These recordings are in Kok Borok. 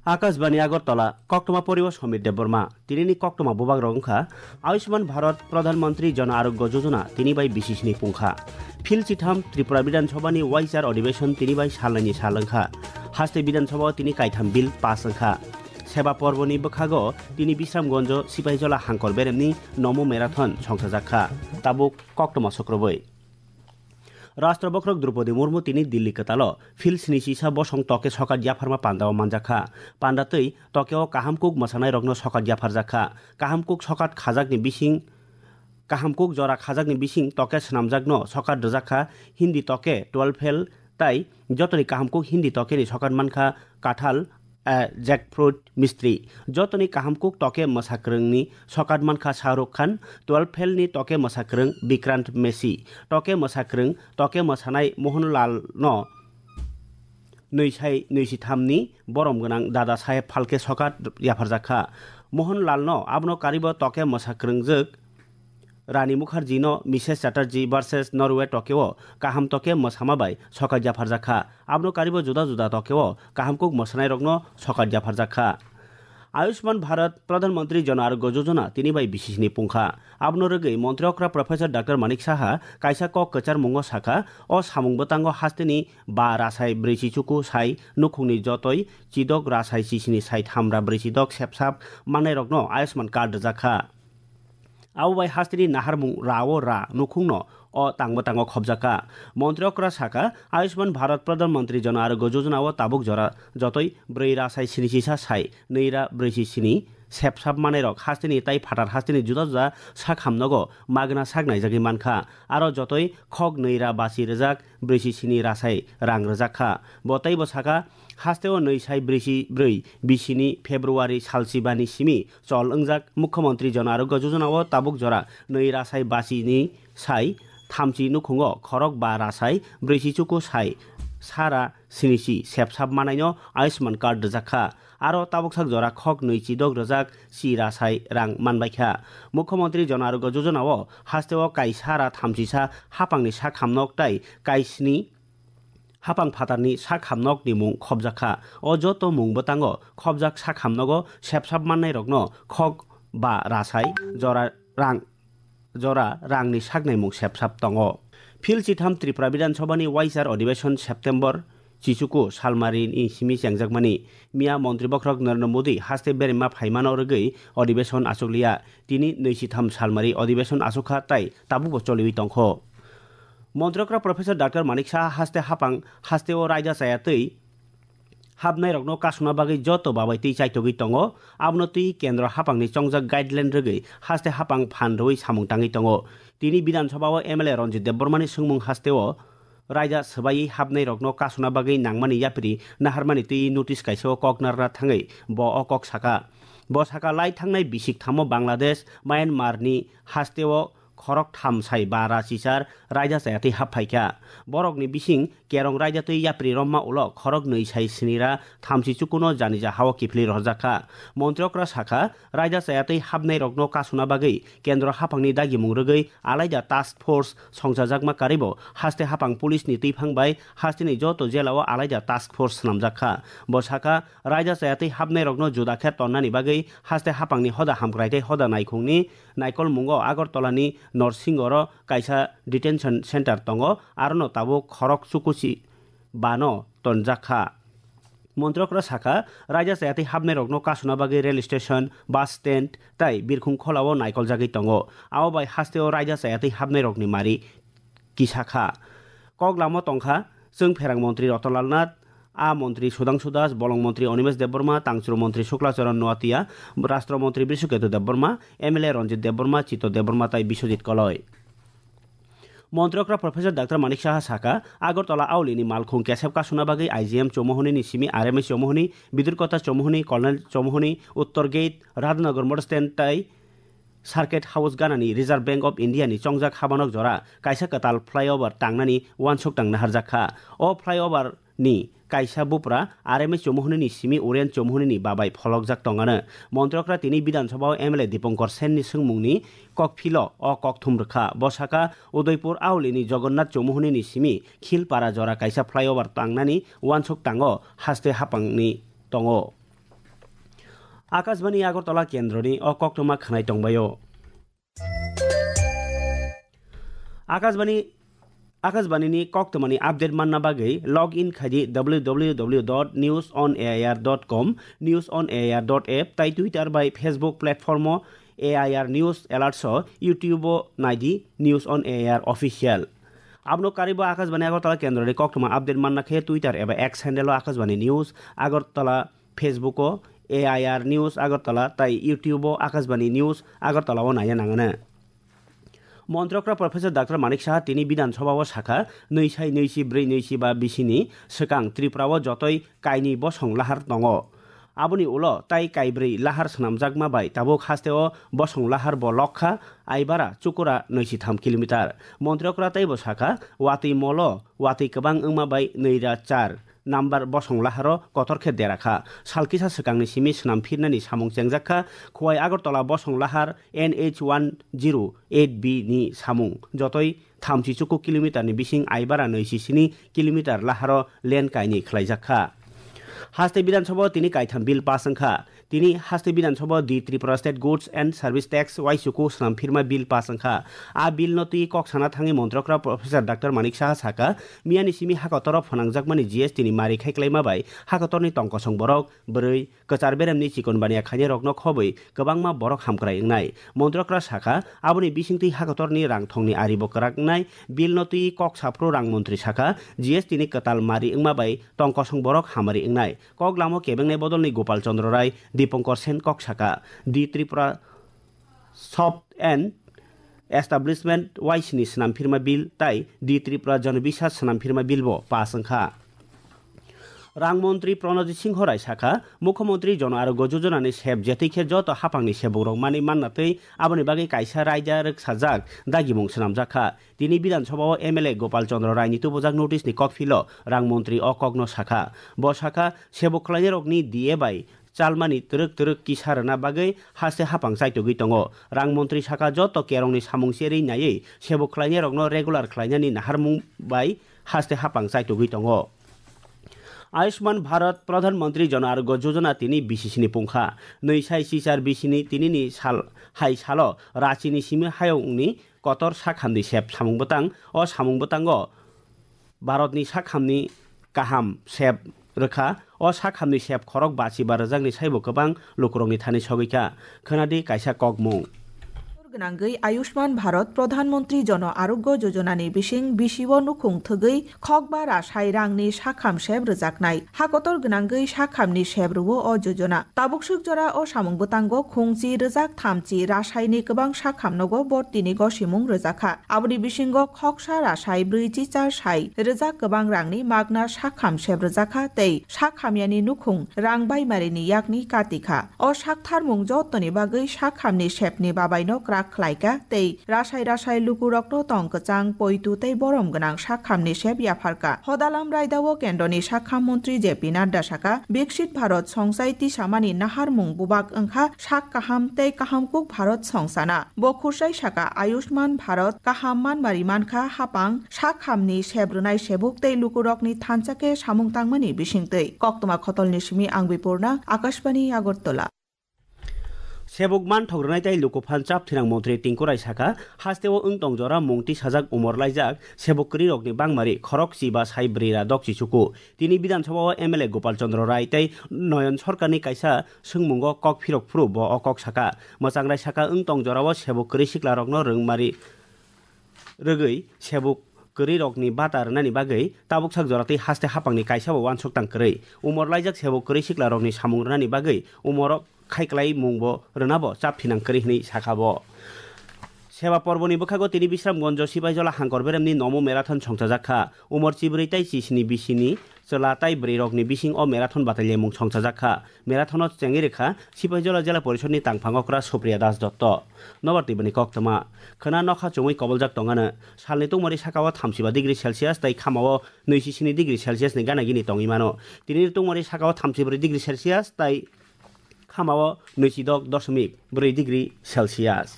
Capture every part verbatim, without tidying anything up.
Akashbani Agartala, koktwma poribo Somir Debbarma. Tinini koktwma bubak rok wngkha Ayushman Bharat, Pradhan Mantri Jan Arogya Yojana, tini bai bisisni pungkha. Phil chitham Tripura Bidhan Sabha ni waisar adhibeshon tini bai salnaini sal wngkha. Haste Bidhan Sabha o tini kaitham bill pass wngkha. Seba Porboni bwkhago tini Bisramganjo Sipaijola Hangkor Beremni Nomo Marathon songchajakha. Tabuk koktwma sukrubui. Rashtra Bokhorok Droupadi Murmu tini Delhi kwtalo Phil sini sisa bosong toke sokat yapharma pandao manjakha. Panda twi tokeo kaham kuk mwsanairokno sokat yapharjakha. Kaham kuk sokat khajakni bising, kaham kuk jora khajakni bising toke swnamjakno sokat rwjakha. Hindi toke twelve Fail tai jotoni kaham kuk Hindi tokeni sokat mankha Kathal, a jackfruit mistri. Jotoni kaham kuk toke mwsakwrwngni sokat mankha Shah Rukh Khan, twelve Fail ni toke mwsakwrwng Vikrant Massey, toke mwsakwrwng, toke mwsanai Mohanlal no nwi sai nwi si tham ni borom gwnang Dada Saheb Phalke sokat yapharjakha. Mohanlal no abono karibo toke mwsakwrwngjwk Rani Mukherjee no Misses Chatterjee versus Norway tokeo kaham toke mwsama bai sokat yapharjakha. Abono karibo juda juda tokeo kaham kuk mwsanairokno sokat yapharjakha. Ayushman Bharat Pradhan Mantri Jan Arogya Yojana tini bai bisisni pungkha. Abono rwgwi Montri okra Professor Doctor Manik Saha kaisa kok kwcharmungo sakha, o samung bwtango hasteni ba rasai brwi si chuku sai nukhungni jotoi chidok rasai sisini sai thamra brwi si dok sepsap mannairokno Ayushman card rwjakha. Abo bai hasteni naharmung ra-o ra nukhungno o tangbo tango khobjakha. Montri okra sakha, Ayushman Bharat Pradhan Mantri Jan Arogya Yojana o tabuk jora jotoi brwi ra sai sini sisa sai nwi ra brwi si sini sepsap manai rok hasteni tai phatar hasteni juda juda sak hamnogo magna sak naijagwi mankha. Aro jotoi khok nwi ra basi rwjak brwi si sini rasai rang rwjak kha. Bo teibo sakha, hasteo nwi sai brwi si brwi bisini February salsibani simi chol wngjak Mukhyamantri Jan Arogya Yojana o tabuk jora nwi rasai basi ni sai thamchi nukhungo khorok ba rasai brwi si chuku sai sara sinisi sepsap manaino Ayushman card rwjak kha. Aro tabuksak jora khok nwi chidok rwjak si rasai rang manbaikha. Mukhyamantri Jan Arogya Yojana o hasteo kaisa ra thamchisa hapangni sak hamnok tai kaisni hapang phatarni sak hamnokni mung khobjakha. O joto mung bwtango khobjak sak hamnogo sepsap mannairokno khok ba rasai jora rang jora rangni saknaimung sepsap tongo. Phil chitham Tripura Bidhan Sabhani waisar adhibeshon September chichuku salmarini simi chengjakmani. Miya Montri Bokhorok Narendra Modi haste berema phaimano rwgwi adhibeshon achukliya. Tini nwisitham salmari adhibeshon achukha tai tabukbo choliwi tongkho. Montri okra Professor Doctor Manik Saha haste hapang hasteo raida chaya twi hapnairokno kasuna bagwi joto babai twi chaitogwi tongo. Abono twi kendro hapangni chongjak guideline rwgwi haste hapang phan rwui samung tangwi tongo. Tini Bidhan Sabha o M L A Ranjit Debbarmani swngmung hasteo raida swbaiwi hapnairokno kasuna bagwi nangmani yapri naharmani twi notice kaisa o kok narwna thangwi bo o kok saka. Bo saka lai thangnai bisik thamo Bangladesh, Myanmar ni hasteo khorok tham sai ba ra chichar raida chaya twi hap phaikha. Borokni bising kerong raida twi yapri romma ulo khorok nwi sai sini ra thamchi chukuno janija hao kiphilwi rohorjakha. Montri okra sakha, raida chaya twi hapnairokno kasuna bagwi kendro haphangni dagimung rwgwi alaida task force songchajakma karibo haste haphang police ni twiphang bai hasteni joto jela o alaida task force swnamjakha. Bo sakha, raida chaya twi hapnairokno juda khe tonnani bagwi haste haphangni hoda hamkrai tei hoda naikhungni naikolmungo Agartala ni Norsingoro kaisa detention center tongo, arono tabuk khorok chukuchi bano tonjak kha. Montri okra sakha, raida chaya twi hapnairokno kasuna bagwi rail station, bus stand tai birkhung kholao naikoljagwi tongo. Abo bai hasteo raida chaya twi hapnairokni mari kisa kha. Kok lamo tongkha, chwng pherang montri Ratanlal Nath, a montri Sudhangshu Das, bolong montri Animesh Debbarma, tangchwrwng montri Shukla Charan Noatia, rashtra montri Brishaketu Debbarma, M L A Ranjit Debbarma, Chito Debbarma tai Biswajit Koloi. Montri okra Professor Doctor Manik Saha sakha, Agartala aulini malkhung kesep kasuna bagwi I G M Chomahoni ni simi R M S Chomahoni, Bidurkota Chomahoni, Colonel Chomahoni, Uttor Gate, Radhanagar Motor Stand tai Circuit House ganani Reserve Bank of India ni chongjak habanok jora kaisa kwtal flyover tangnani uansuk tang naharjak kha. O flyover ni kaisa bupra R M S Chomahoni ni simi Uren Chomahoni ni babai pholokjak tongano. Montri okra tini Bidhan Sabha o M L A Dipankar Sen ni swngmung ni kokphilo o kokthum rwkha. Bo sakha, Udaipur auli ni Jagannath Chomahoni ni simi Khilpara jora kaisa flyover tangnani uansuk tango haste haphang ni tongo. Akashbani Agartala kendroni o koktwma khwnai tongbaio. Akashbani, Akashbani ni koktwmani update manna bagwi log in khaidi w w w dot news on a i r dot com, news on a i r dot app tai Twitter bai Facebook platform o A I R News Alerts o, YouTube o naidi News on A I R Official. Abono karwi bo Akashbani Agartala kendroni koktwma update manna khe Twitter eba X handle o Akashbani News Agartala, Facebook o A I R News Agartala tai YouTube o Akashbani News Agartala o naiya nangano. Montrokra Professor Doctor Manik Saha tini Bidhan Sabha o sakha, nwi sai nwi si brwi nwi si ba bisini swkang Tripura o jotoi kainwi bosong lahar tongo. Aboni ulo tai kaibrwi lahar swnamjakma bai tabuk haste o bosong lahar bo lokha, Aibara, Chukura nwi si tham kilometer. Montri okra tei bo sakha, watwi molo watwi kwbang wngma bai nwi ra char number bosong laharo kotor khe dera kha. Sal kisa swkangni simi swnam phirnani samung chengjak kha, Khowai Agartala bosong lahar N H one zero eight B ni samung. Jotoi thamchi chuku kilometer ni bising Aibara nwi si sini kilometer laharo lane kainwi khwlaijak kha. Haste Bidhan Sabha o tini kaitham bill pass wngkha. Tini haste Bidhan Sabha o di Tripura State Goods and Service Tax uaichuku swnam phirma bill pass wngkha. A bill no twi kok sana thangwi Montri okra Professor Doctor Manik Saha sakha, miyani simi hakotoro phwnangjakmani G S T ni mari khai klaima bai hakotorni tongkosong borok bwrwi, kwchar beremni chikon baniya khainai rokno khobwi kwbangma borok hamkrai wngnai. Montri okra sakha, aboni bisingtwi hakotorni rang thongni ari bo kwrak wngnai. Bill no twi kok saphuru rang montri sakha, G S T ni kwtal mari wngma bai tongkosong borok hamari wngnai. Kok lamo kebengnai bodolni Gopal Chandra Rai, Dipankar Sen kok sakha. Di Tripura Shop and Establishment uaisini swnam phirma bill tai Di Tripura Janobiswas swnam phirma bill bo pass wngkha. Rang montri Pranojit Singho Rai sakha, Mukhyamantri Jan Arogya Yojana ni sep jetwi khe joto haphangni sebukrok manwi manna twi aboni bagwi kaisa raida rwksajak dagimung swnamjak kha. Tini Bidhan Sabha o M L A Gopal Chandra Rai ni tubujak notice ni kokphilo rang montri o kokno sakha. Bo sakha, sebuk khwlainairokni D A bai chalmani twrwk twrwk kisa rwna bagwi haste haphang chaitugwi tongo. Rang montri sakha, joto kerongni samung cherwi naiwi sebuk khwlainairokno regular khwlainani naharmung bai haste haphang chaitugwi tongo. Ayushman Bharat Pradhan Mantri Jan Arogya Yojana tini B C C ni pungkha. Nwi sai chichar B C ni tinini sal hai salo Ranchi ni simi hayungni kotor sakhamni sep samung bwtang. O samung bwtango Bharatni sakhamni kaham sep rwkha. O sakhamni sep khorok bachi ba rwjakni saibo kwbang lukurokni thani sogwi kha. Khwnadi kaisa kokmung. Gwnangwi Ayushman Bharat Pradhan Mantri Jan Arogya Yojana ni bising bisi o nukhung thwgwi khokba rasai rangni sakham sep rwjaknai. Hakotor gwnangwi sakhamni sep rwo o yojana. Tabuk swk jora o samung bwtango khungchi rwjak thamchi rasaini kwbang sakham nogo bortini gosimung rwjakha. Aboni bisingo khoksa rasai brwichi char sai rwjak kwbang rangni magna sakham sep rwjakha tei sakhamyani nukhung rang baimarini yakni katikha. O saktharmung jotoni bagwi sakhamni sepni babaino kwrak khlaikha tei rasai rasai lukurokno tong kwchang, poitu tei borom gwnang sakhamni sep yapharkha. Hodalam raidao kendroni sakham montri J P Nadda sakha, Viksit Bharat songchai tisamani naharmung bubak wngkha sak kaham tei kahamkuk Bharat songsana. Bo khurchai sakha, Ayushman Bharat kaham manmari mankha, hapang sakhamni sep rwnai sebuk tei lukurokni thansa khe samung tangmani bisingtwi. Koktwma khotolni simi ang Bipurna, Akashbani Agartala. Sebuk manthok rwnai tei lukuphan chap thinang montri Tinku Rai sakha, hasteo wng tong jora mung tisajak umor laijak sebuk kwrwirokni bangmari khorok chiba sai brwi ra dok chichuku. Tini Bidhan Sabha o M L A Gopal Chandra Rai tei Noyon Sarkarni kaisa swngmungo kok phirok phuru bo o kok sakha. Mwchangrai sakha, wng tong jorao sebuk kwrwi siklarokno rwngmari rwgwi sebuk kwrwirokni bata rwnani bagwi tabuk sak jora tei haste haphangni kaisabo uansuk tang kwrwi. Umor laijak sebuk kwrwi siklarokni samung rwnani bagwi umoro khaiklai mungbo rwnabo chap thinang kwrwi hwnwi sakha bo. Seba porboni bwkhago tini Bisramganjo Sipaijola Hangkor Beremni nomo marathon songchajak kha. Umor chibrwi tei chisni bisini chwla tai bwrwirokni bising o marathon batailaimung songchajak kha. Marathon-o chengwi rwkha Sipaijola Jela Porishodni tangphang okra Supriya Das Dotto. Nobar twibani koktwma. Khwna nokha chumui koboljak tongano. Salni tungmari sakao thamsiba degree Celsius tei khamao nwi si sini degree Celsius ni gana gini tongwi mano. Tinini tungmari sakao thamsibrwi degree Celsius tei khamao nwi si dok dosmik brwi degree Celsius.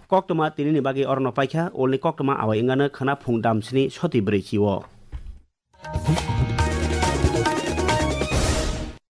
Koktwma tinini bagwi orono paikha, ulni koktwma awai wngano khwna phung damsni soti brwi chio.